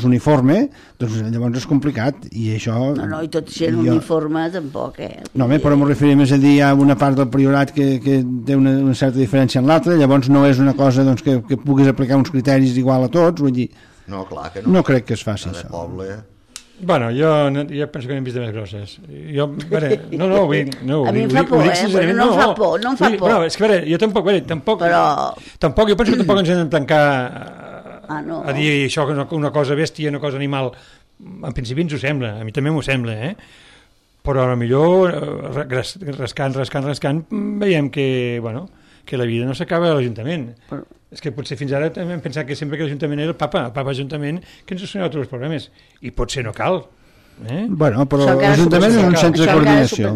uniforme, doncs llavors és complicat, i això... No, i tot sent uniforme tampoc, No, però m'ho referim, és a dir, hi ha una part del Priorat que té una certa diferència en l'altra, llavors no és una cosa doncs, que puguis aplicar uns criteris igual a tots, vull dir... No, clar que no. No crec que es faci això. Poble... Bueno, jo penso que n'hem vist de més grosses. A mi em fa por, no em fa por. No, és que, jo tampoc jo penso que tampoc ens hem de tancar a dir això, que una cosa bèstia, una cosa animal. En principi ens ho sembla, a mi també m'ho sembla, però millor rascant, veiem que, bueno, que la vida no s'acaba a l'Ajuntament. És que potser fins ara també hem pensat que sempre que l'Ajuntament era el papa Ajuntament, que ens solucionava tots els problemes. I potser no cal. Bueno, però l'Ajuntament és un centre de coordinació.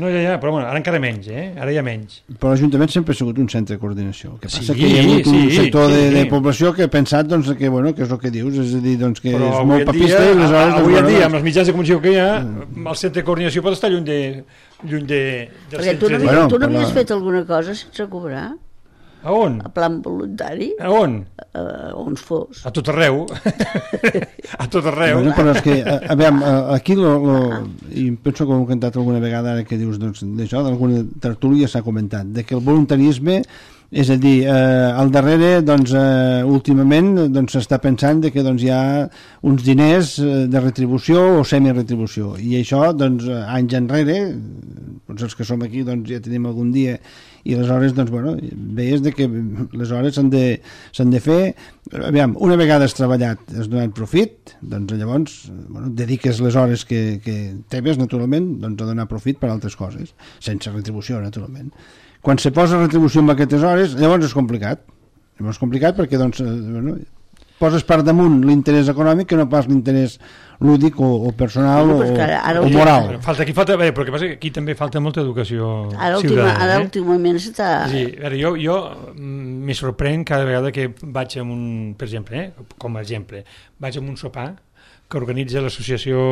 No, ja, però bueno, ara encara menys, ara hi ha menys. Però l'Ajuntament sempre ha sigut un centre de coordinació. El que passa que hi ha hagut un sector de població que ha pensat doncs, que, bueno, que és el que dius, és a dir, doncs, que però és molt papista i aleshores... Avui en dia, amb els mitjans de comunicació que hi ha, el centre de coordinació pot estar lluny de perquè tu no havies fet alguna cosa sense cobrar? A on? A plan voluntari. A on? On fos. A tot arreu. A tot arreu. Bueno, però és que, aquí, i penso que ho hem cantat alguna vegada ara que dius d'això, d'alguna tertúlia s'ha comentat, de que el voluntarisme, és a dir, al darrere, doncs, últimament, doncs, s'està pensant que doncs, hi ha uns diners de retribució o semiretribució, i això, doncs, anys enrere, doncs els que som aquí, doncs, ja tenim algun dia, i aleshores, doncs, bueno, veies que les hores s'han de fer, aviam, una vegada has treballat, has donat profit, doncs llavors, bueno, dediques les hores que teves, naturalment, doncs, a donar profit per altres coses, sense retribució, naturalment. Quan se posa retribució amb aquestes hores, llavors és complicat. Llavors és complicat perquè, doncs, bueno, poses per damunt l'interès econòmic que no pas l'interès lúdic o personal o moral. Falta, però el que passa que aquí també falta molta educació ciutadana. Ara últimament s'està... Sí, a veure, jo m'hi sorprèn cada vegada que vaig a un, per exemple, com a exemple, vaig a un sopar que organitza l'associació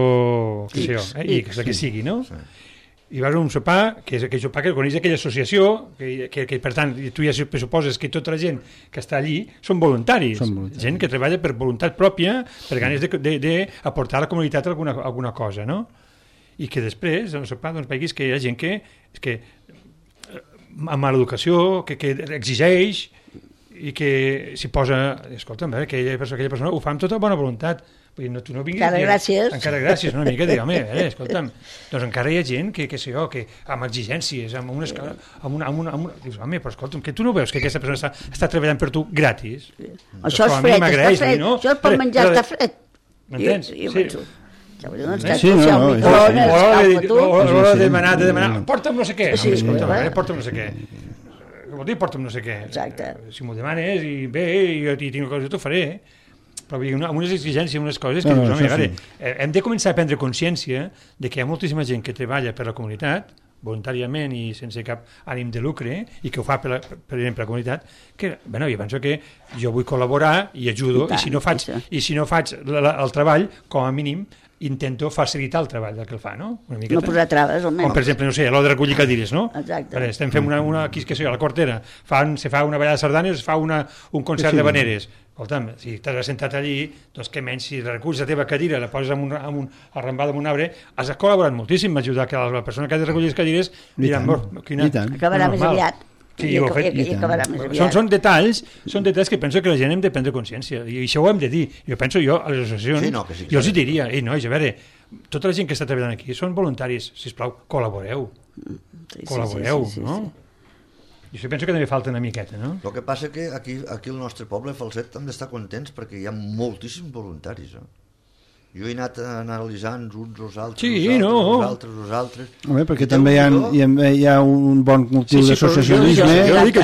X, la que sigui, no? Sí. I vas a un sopar, que és aquell sopar que organitza aquella associació, que per tant, tu ja pressuposes que tota la gent que està allí són voluntaris. Gent que treballa per voluntat pròpia, per ganes d'aportar a la comunitat alguna cosa, no? I que després, en el sopar, doncs, veguis que hi ha gent que amb mala educació, que exigeix i que s'hi posa... Escolta'm, aquella persona ho fa amb tota bona voluntat. Vull dir, tu no vinguis... Encara gràcies, una mica de... Home, escolta'm, doncs encara hi ha gent que sé jo, que amb exigències, amb una escala... Dius, home, però escolta'm, que tu no veus que aquesta persona està treballant per tu gratis? Això és fred, està fred. Això per menjar està fred. M'entens? Sí. O l'hora de demanar, porta'm no sé què. Porta'm no sé què. Vol dir, porta'm no sé què. Exacte. Si m'ho demanes i bé, i jo tinc una cosa, t'ho faré, però amb unes exigències, unes coses que dius, home, a veure, hem de començar a prendre consciència de que hi ha moltíssima gent que treballa per la comunitat, voluntàriament i sense cap ànim de lucre, i que ho fa per exemple la comunitat, que, bueno, jo penso que jo vull col·laborar i ajudo, i si no faig el treball, com a mínim, intento facilitar el treball del que el fa, no? No posar traves, almenys. Com, per exemple, no sé, a l'hora de recollir cadires, no? Exacte. Estem fent aquí, que sé, a la Quartera, se fa una ballada de sardanes, es fa un concert de veneres. Escolta'm, si t'has assentat allí, doncs què menys, si reculls la teva cadira, la poses arrambada amb un arbre, has col·laborat moltíssim a ajudar que la persona que ha de recollir les cadires diran, acabarà més aviat. Sí, ho he fet. I acabarà més aviat. Són detalls que penso que la gent hem de prendre consciència, i això ho hem de dir. Jo penso, a les associacions, jo els hi diria, nois, a veure, tota la gent que està treballant aquí són voluntaris, sisplau, col·laboreu, no? I això penso que també falta una miqueta, no? El que passa que aquí al nostre poble, Falset, hem d'estar contents perquè hi ha moltíssims voluntaris, Jo he anat analitzant uns els altres. Home, perquè també hi ha un bon motiu d'associacionisme. Jo dic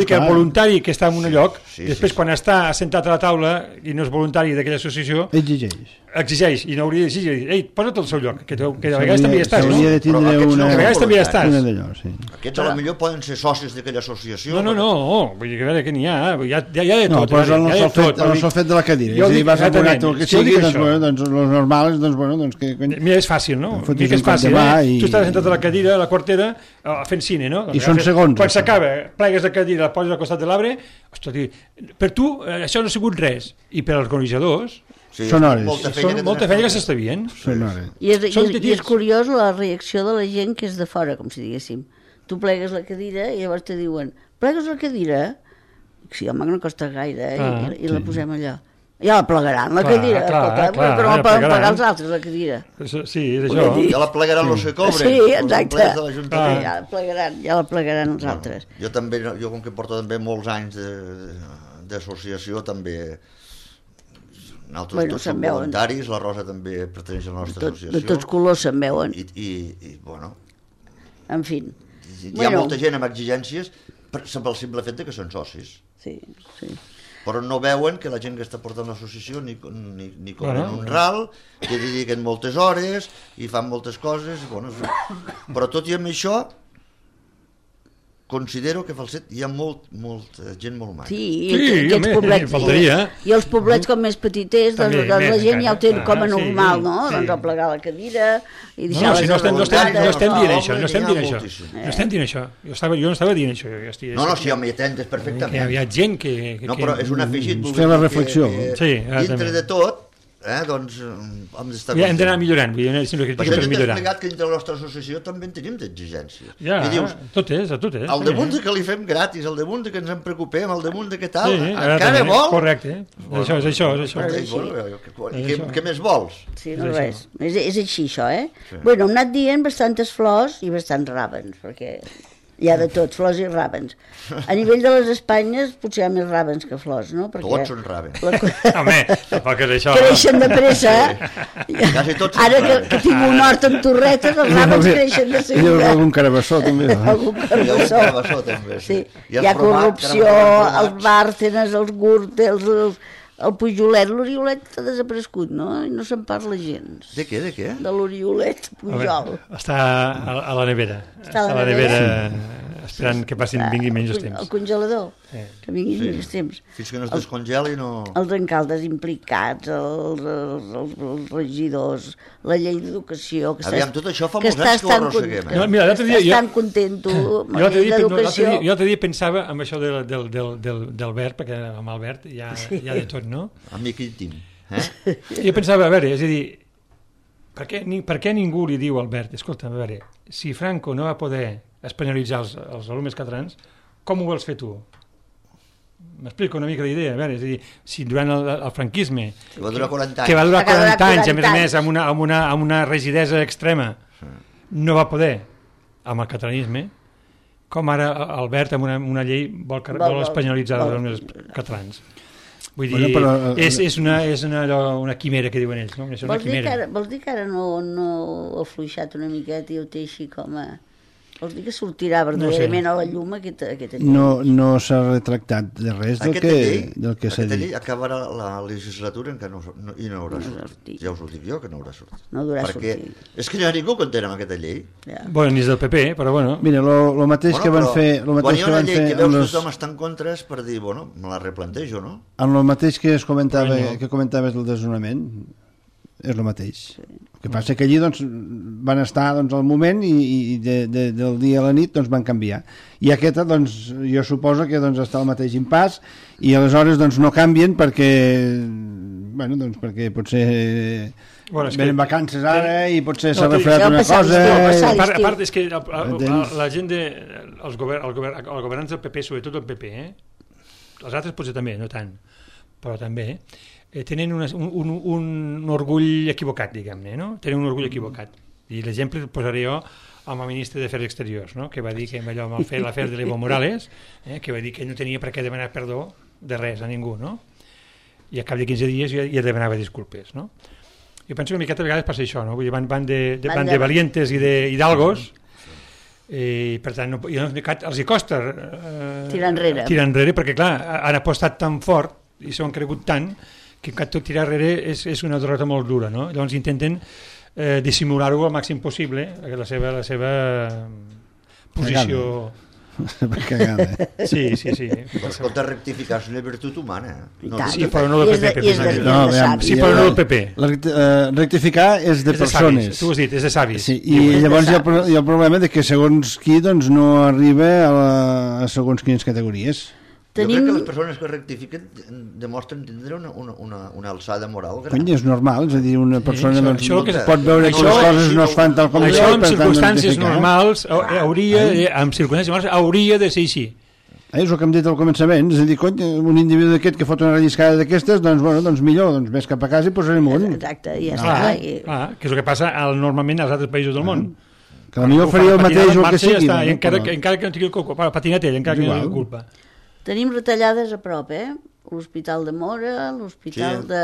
que el voluntari que està en un lloc, després quan està assentat a la taula i no és voluntari d'aquella associació, exigeix, i no hauria d'exigir, posa't al seu lloc, que de vegades també hi estàs, no? De vegades també hi estàs. Aquests potser poden ser socis d'aquella associació. No, vull dir que a veure què n'hi ha, hi ha de tot. No, però el fet de la cadira, és a dir, vas a un acte que sigui, doncs los normals, doncs bueno, doncs que... Mira, és fàcil, no? És fàcil, Tu estàs sentat a la cadira, a la Quartera, fent cine, no? I són segons. Quan s'acaba, plegues la cadira, la poses al costat de l'arbre, per tu això no ha sigut res, i per als organitzadors són hores. Molta feina que s'està veient. I és curiós la reacció de la gent que és de fora, com si diguéssim. Tu plegues la cadira i llavors te diuen, plegues la cadira? Sí, home, no costa gaire, i la posem allà. Ja la plegaran, la cadira, però no poden plegar els altres, la cadira. Sí, és això. Ja la plegaran els que cobren. Sí, exacte. Ja la plegaran els altres. Jo com que porto també molts anys d'associació, també Nosaltres tots som voluntaris, la Rosa també pertanyeix a la nostra associació. De tots colors se'n veuen. I bueno... En fi. Hi ha molta gent amb exigències pel simple fet que són socis. Sí. Però no veuen que la gent que està portant l'associació ni cobren un ral, que dediquen moltes hores i fan moltes coses. Bueno, però tot i amb això, considero que a Falset hi ha molta gent molt maca. Sí, aquests poblets, faltaria. I els poblets com més petiters, doncs la gent ja ho té com a normal, no? Doncs a plegar la cadira i deixar les voluntats. No estem dient això. Jo no estava dient això. No, si home, hi atentes perfectament. Hi ha gent que... No, però és un afegit. Fer la reflexió. Dintre de tot, doncs hem d'anar millorant. Per això jo t'he explicat que dintre la nostra associació també en tenim d'exigències. Tot és. Al damunt de que li fem gratis, al damunt de que ens en preocupem, al damunt de que tal, encara vol? Correcte, és això. Què més vols? Sí, no res. És així, això, eh? Bueno, hem anat dient bastantes flors i bastants ràbens, perquè... Hi ha de tot, flors i ràbens. A nivell de les Espanyes potser hi ha més ràbens que flors, no? Perquè tots són ràbens. Home, tampoc és això. Creixen de pressa. Ara que tinc un hort amb torretes, els ràbens creixen de seguida. I algun carabassó, també. Algun carabassó, també. Sí. Hi ha corrupció, els bàrtenes, els gürtels, el pujolet. L'oriolet ha desaparegut, no? I no se'n parla gens. De què? De l'oriolet pujol. Està a la nevera. Està a la nevera esperant que vingui menys temps. El congelador, que vinguin menys temps. Fins que no es descongeli no... Els alcaldes implicats, els regidors, la llei d'educació... Aviam, tot això fa molts anys que ho arrosseguem. Estan contento amb la llei d'educació. Jo l'altre dia pensava en això del verd, perquè amb el verd hi ha de tot, no? Amic íntim. Jo pensava, a veure, és a dir, per què ningú li diu al verd, escolta, a veure, si Franco no va poder espanyolitzar els alumnes catalans, com ho vols fer tu? M'explico una mica d'idea, a veure, és a dir, si durant el franquisme... Que va durar 40 anys. Que va durar 40 anys, a més amb una rigidesa extrema, no va poder, amb el catalanisme, com ara Albert amb una llei vol espanyolitzar els alumnes catalans. Vull dir, és una quimera que diuen ells, no? Vols dir que ara no ha afluixat una miqueta i ho té així com a... Vols dir que sortirà verdaderament a la llum aquesta llei? No s'ha retractat de res del que s'ha dit. Aquesta llei acabarà la legislatura i no haurà sortit. Ja us ho dic jo, que no haurà sortit. No haurà sortit. És que no hi ha ningú que entén amb aquesta llei. Bueno, ni és del PP, però bueno. Mira, el mateix que van fer... Quan hi ha una llei que veus que tothom està en contra és per dir, bueno, me la replantejo, no? Amb el mateix que comentaves del desnonament, és el mateix. El que passa que allí van estar al moment i del dia a la nit van canviar. I aquesta, jo suposo que està al mateix impàs i aleshores no canvien perquè potser venen vacances ara i potser s'ha refredat una cosa. A part és que la gent els governants del PP, sobretot el PP, els altres potser també, no tant, però també tenen un orgull equivocat, diguem-ne, no? Tenen un orgull equivocat. I l'exemple el posaré jo amb el ministre d'Afers Exteriors, no? Que va dir que allò amb l'afer de l'Evo Morales, que va dir que no tenia per què demanar perdó de res a ningú, no? I a cap de 15 dies ja demanava disculpes, no? Jo penso que una miqueta a vegades passa això, no? Vull dir, van de valientes i d'hidalgos, i per tant els hi costa tirar enrere perquè clar, han apostat tan fort i s'ho han cregut tant que tot tirar enrere és una derrota molt dura, no? Llavors intenten dissimular-ho al màxim possible, la seva posició... Cagada. Sí. Però escolta, rectificar és una virtut humana. Sí, però no del PP. Sí, però no del PP. Rectificar és de persones. Tu ho has dit, és de savis. I llavors hi ha el problema de que segons qui no arriba a segons quines categories. Jo crec que les persones que rectifiquen demostren tindre una alçada moral gran. Cony, és normal, és a dir, una persona pot veure que les coses no es fan tal com això en circumstàncies normals hauria de ser així. És el que hem dit al començament, és a dir, cony, un individu d'aquest que fot una relliscada d'aquestes, doncs millor, més cap a casa i posarem un. Exacte, ja està. Que és el que passa normalment als altres països del món. Que potser faria el mateix o el que sigui. Encara que no tingui culpa, patinat ell, encara que no tingui culpa. Tenim retallades a prop, l'Hospital de Móra, l'Hospital de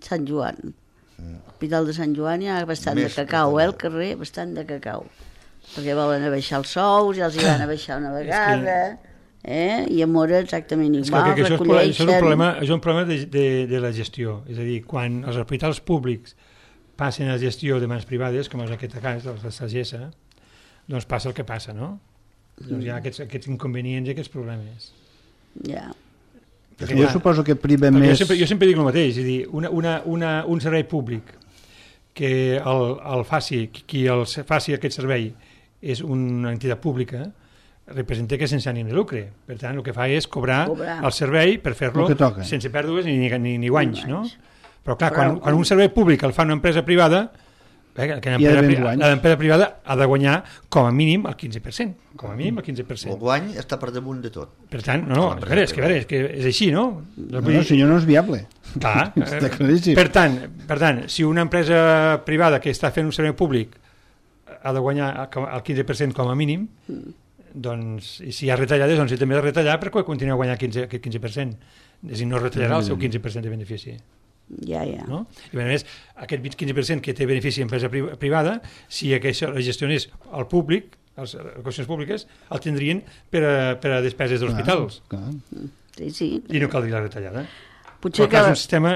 Sant Joan. L'Hospital de Sant Joan hi ha bastant de cacau, al carrer, bastant de cacau. Perquè volen abaixar els sous, ja els hi van abaixar una vegada, i a Móra exactament igual, recolleixen... Això és un problema de la gestió, és a dir, quan els hospitals públics passen a gestió de mans privades, com és aquest cas, de la sagessa, doncs passa el que passa, no? Doncs hi ha aquests inconvenients i aquests problemes. Ja. Jo suposo que priva més... Jo sempre dic el mateix, és a dir, un servei públic que el faci, qui faci aquest servei és una entitat pública, representa que és sense ànim de lucre. Per tant, el que fa és cobrar el servei per fer-lo sense pèrdues ni guanys, no? Però clar, quan un servei públic el fa una empresa privada, l'empresa privada ha de guanyar com a mínim el 15%. Com a mínim el 15%. El guany està per damunt de tot. Per tant, és que és així, no? Si no és viable. Clar. Està claríssim. Per tant, si una empresa privada que està fent un servei públic ha de guanyar el 15% com a mínim, doncs, i si hi ha retallades, doncs també ha de retallar perquè continua guanyant aquest 15%. És a dir, no retallarà el seu 15% de benefici. Ja. No? I a més, aquest 15% que té benefici en empresa privada, si això la gestionés el públic, les qüestions públiques, el tindrien per a despeses dels hospitals. Sí. I no caldria la retallada. Potser és un sistema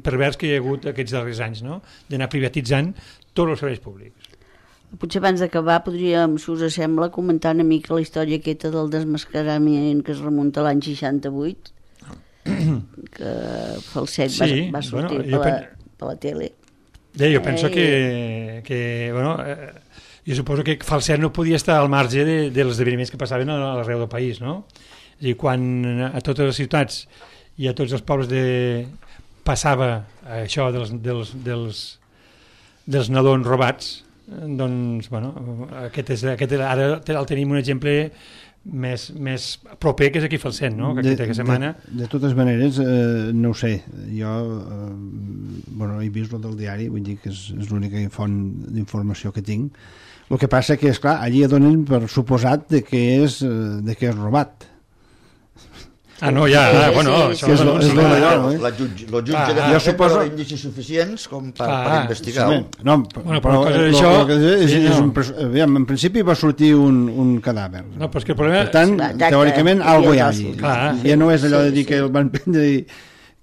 pervers que hi ha hagut aquests darrers anys, no? D'anar privatitzant tots els serveis públics. Potser abans d'acabar podríem, si us sembla, comentar una mica la història aquesta del desmascarament que es remunta a l'any 68, que Falset va sortir per la tele. Jo penso que jo suposo que Falset no podia estar al marge dels esdeveniments que passaven a l'arreu del país, no? És a dir, quan a totes les ciutats i a tots els pobles passava això dels nadons robats, doncs, aquest ara el tenim un exemple més proper, que és aquí Falset, no? Aquesta setmana. De totes maneres, no ho sé, jo he vist el del diari, vull dir que és l'única font d'informació que tinc. El que passa que, esclar, allí donen per suposat que és robat. Això és la jutge de suposo indicis suficients com per investigar. En principi va sortir un cadàver. Per tant, teòricament, alguna cosa hi ha allí. Ja no és allò de dir que el van prendre i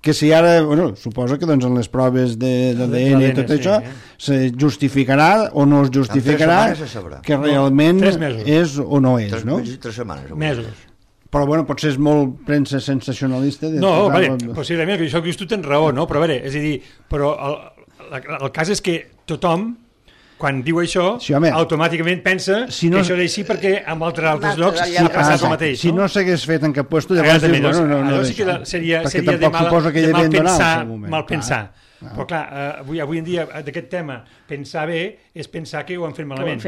que si ara, suposo que en les proves d'ADN i tot això se justificarà o no es justificarà que realment és o no és, no? 3 setmanes. Mesos. Però potser és molt premsa sensacionalista. Possiblement, que això que tu tens raó, no? Però és a dir, però el cas és que tothom, quan diu això, automàticament pensa que això és així perquè en altres llocs ha passat el mateix. Si no s'hagués fet en cap lloc, llavors dius, no, sí que seria de mal pensar. Però clar, avui en dia d'aquest tema pensar bé és pensar que ho han fet malament.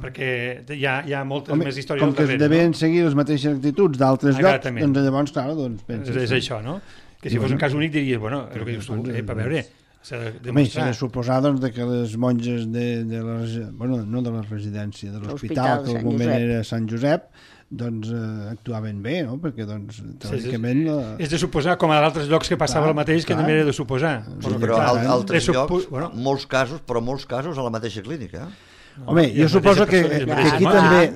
Perquè hi ha moltes més històries com que es devien seguir les mateixes actituds d'altres llocs, doncs llavors, clar, penses... És això, no? Que si fos un cas únic diries, el que dius tu, per veure, s'ha de demostrar. S'ha de suposar que les monges no de la residència, de l'hospital, que al moment era Sant Josep, doncs actuaven bé, no? Perquè, teòricament... És de suposar, com a altres llocs que passava el mateix, que també era de suposar. Però a altres llocs, molts casos, a la mateixa clínica. Home, jo suposo que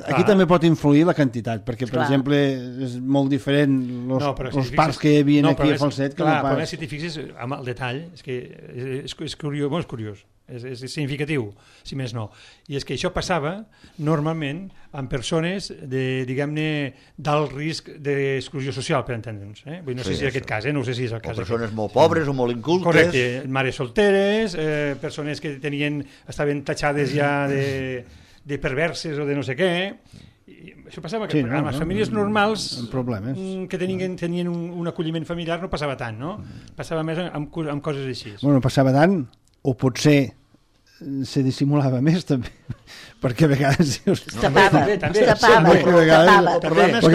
aquí també pot influir la quantitat, perquè, per exemple, és molt diferent els parcs que hi havia aquí a Falset que no pas... Però si t'hi fixes amb el detall, és curiós, és significatiu, si més no. I és que això passava normalment amb persones diguem-ne, d'alt risc d'exclusió social, per entendre'ns. No sé si és aquest cas, no sé si és el cas. O persones molt pobres o molt incultes. Correcte, mares solteres, persones que estaven tatxades ja de perverses o de no sé què. Això passava que amb les famílies normals que tenien un acolliment familiar no passava tant, no? Passava més amb coses així. Bueno, passava tant, o potser se dissimulava més també, perquè a vegades tapava. El que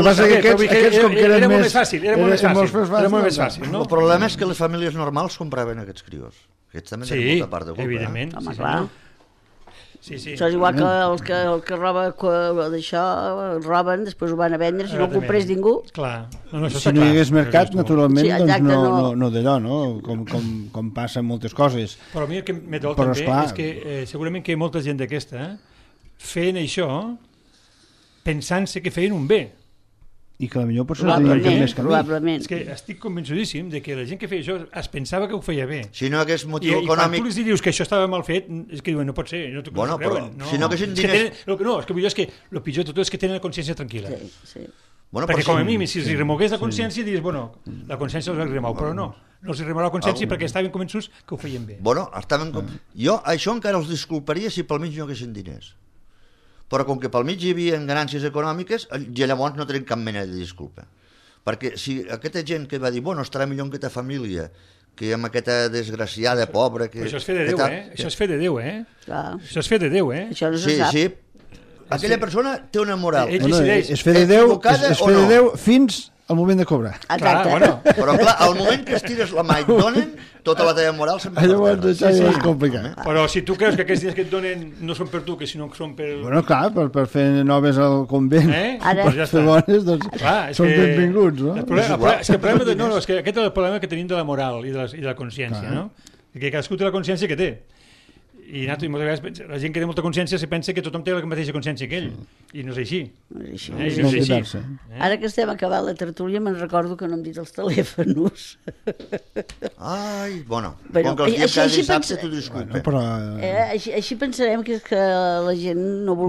passa que aquests com que eren més fàcil, era molt més fàcil. El problema és que les famílies normals compraven aquests crios. Aquests també tenen molta part de culpa. Evidentment. Això és igual que el que roba d'això, roben, després ho van a vendre, si no ho comprés ningú. Clar. Si no hi hagués mercat, naturalment, doncs no d'allò, no? Com passa en moltes coses. Però a mi el que me dol també és que segurament que hi ha molta gent d'aquesta feien això pensant-se que feien un bé. I que potser no tenien més camí. És que estic convençudíssim de que la gent que feia això es pensava que ho feia bé. Si no hagués motiu econòmic... I quan tu els dius que això estava mal fet, és que diuen, no pot ser, no t'ho creuen. Si no haguessin diners... És que el pitjor de tot és que tenen la consciència tranquil·la. Sí. Perquè com a mínim, si els remogués la consciència, diries, la consciència els va remou, però no els remou la consciència perquè estaven convençuts que ho feien bé. Jo això encara els disculparia si pel mig no haguessin diners. Però com que pel mig hi havia ganàncies econòmiques, llavors no tenen cap mena de disculpa. Perquè si aquesta gent que va dir, estarà millor en aquesta família, que amb aquesta desgraciada, pobra... Però això és fer de Déu, Això és fer de Déu, Això és fer de Déu, Això no se sap. Sí. Aquella persona té una moral. És fer de Déu fins al moment de cobrar. Exacte. Però clar, al moment que estires la mà i et donen, tota la teva moral se'n va per terra. Això és complicat. Però si tu creus que aquests dies que et donen no són per tu, que sinó que són per... Clar, per fer noves al convent, per fer bones, doncs són benvinguts, no? És que aquest és el problema que tenim de la moral i de la consciència, no? Que cadascú té la consciència que té. I moltes vegades la gent que té molta consciència se pensa que tothom té la mateixa consciència que ell, i no és així. No és així. Ara que estem acabant la tertúlia me'n recordo que no hem dit els telèfons. Ai, com que els diem cada dissabte t'ho disculpa. Així pensarem que és que la gent no ha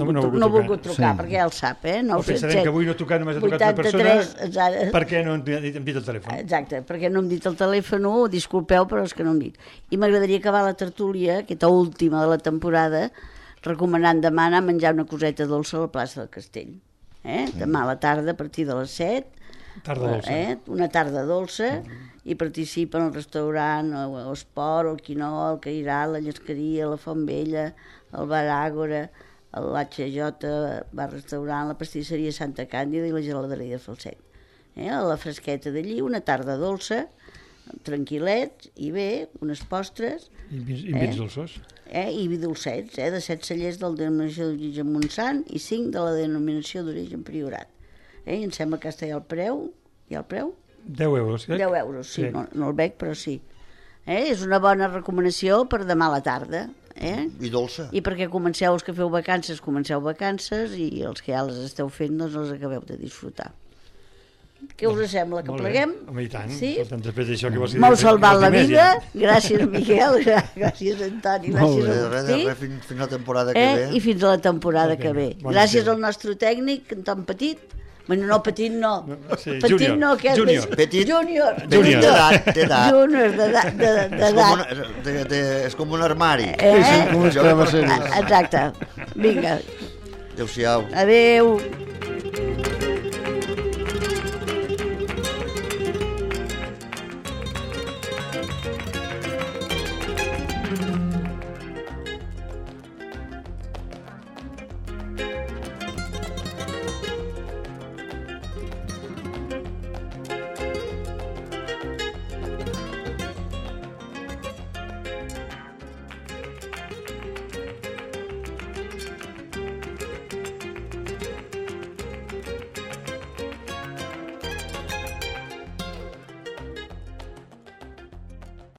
volgut trucar, perquè ja el sap, o pensarem que avui no ha trucat, només ha trucat una persona, perquè no hem dit el telèfon. Exacte, perquè no hem dit el telèfon, disculpeu, però és que no hem dit. I m'agradaria acabar la tertúlia, aquesta última de la temporada, recomanant demà anar a menjar una coseta dolça a la plaça del Castell. Demà a la tarda, a partir de les 7, una tarda dolça, i participen al restaurant, l'Esport, el Quinó, el Cairà, la Llesqueria, la Font Vella, el Bar Àgora, l'HJ, bar-restaurant, la pastisseria Santa Càndida i la geladeria de Falset. A la fresqueta d'allí, una tarda dolça, tranquil·lets, i bé, unes postres... I vins dolços. I vi dolcets, de 7 cellers de la denominació d'origen Montsant i 5 de la denominació d'origen Priorat. I em sembla que està ja el preu. Hi ha el preu? 10 euros. 10 euros, sí. No el veig, però sí. És una bona recomanació per demà a la tarda. I dolça. I perquè comenceu, els que feu vacances, i els que ja les esteu fent, doncs els acabeu de disfrutar. Què us sembla, que pleguem? Home, i tant. Sí? Després d'això que vols dir... M'heu salvat la vida. Gràcies, Miquel. Gràcies, Antoni. Gràcies, Agustí. Fins la temporada que ve. I fins a la temporada que ve. Gràcies al nostre tècnic, Anton Petit. Bueno, no, Petit no. Petit no, que és Júnior. Petit. Júnior. D'edat. Júnior, d'edat. És com un armari. Exacte. Vinga. Adéu-siau. Adéu.